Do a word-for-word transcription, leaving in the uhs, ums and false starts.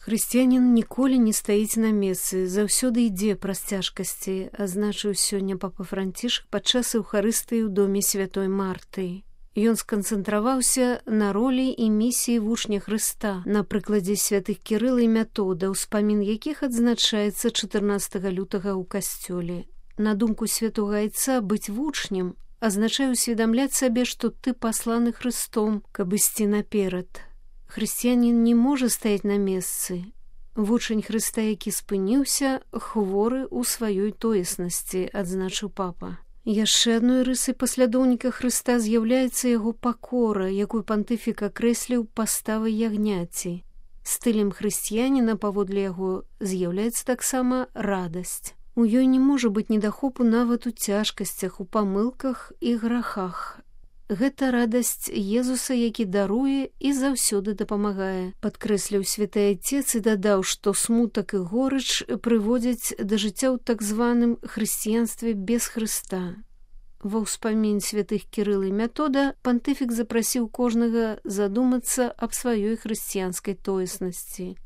Хрысціянін ніколі не стаіць на месцы, заўсёды ідзе праз цяжкасці, азначыў сёння папа Францішк падчас эўхарыстыі ў доме святой Марты. Ён сканцэнтраваўся на ролі і місіі вучня Хрыста на прыкладзе святых Кірыла і Мятода, успамін якіх адзначаецца чатырнаццатага лютага ў касцёле. На думку святога айца, быць вучнем азначае усведамляць сабе, што ты пасланы Хрыстом, каб ісці наперад. Хрысціянін не можа стаяць на месцы. Вучань Хрыста, які спыніўся, хворы ў сваёй тоеснасці, адзначыў папа. Яшчэ адной рысай паслядоўніка Хрыста з'яўляецца яго пакора, якую пантыфік акрэсліў паставай ягняці. Стылем хрысціяніна, паводле яго, з'яўляецца таксама радасць. У ёй не можа быць недахопу нават у цяжкасцях, у памылках і грахах. Гэта радасць Езуса, які даруе і заўсёды дапамагае, падкрэсліў святы айцец і дадаў, што смутак і горыч прыводзяць да жыцця ў так званым хрысціянстве без Хрыста. Ва ўспамін святых Кірыла і Мятода пантыфік запрасіў кожнага задумацца аб сваёй хрысціянскай тоеснасці.